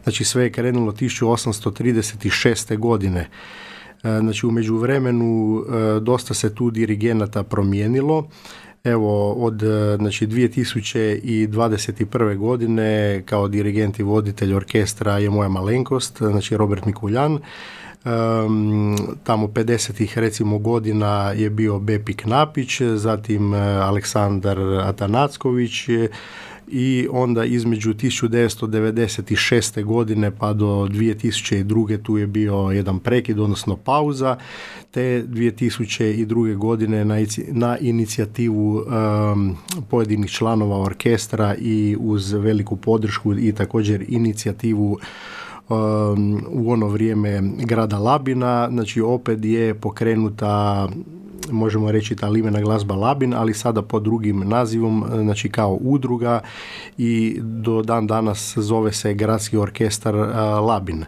Znači sve je krenulo 1836. godine. Znači u međuvremenu dosta se tu dirigenata promijenilo. Evo, od 2021. godine kao dirigent i voditelj orkestra je moja malenkost, znači Robert Mikuljan. Tamo 50-ih recimo godina je bio Bepi Knapić, zatim Aleksandar Atanacković i onda između 1996. godine pa do 2002. tu je bio jedan prekid, odnosno pauza, te 2002. godine na inicijativu pojedinih članova orkestra i uz veliku podršku i također inicijativu u ono vrijeme grada Labina, znači opet je pokrenuta, možemo reći, ta limena glazba Labin, ali sada pod drugim nazivom, znači kao udruga, i do dan danas zove se Gradski orkestar Labin.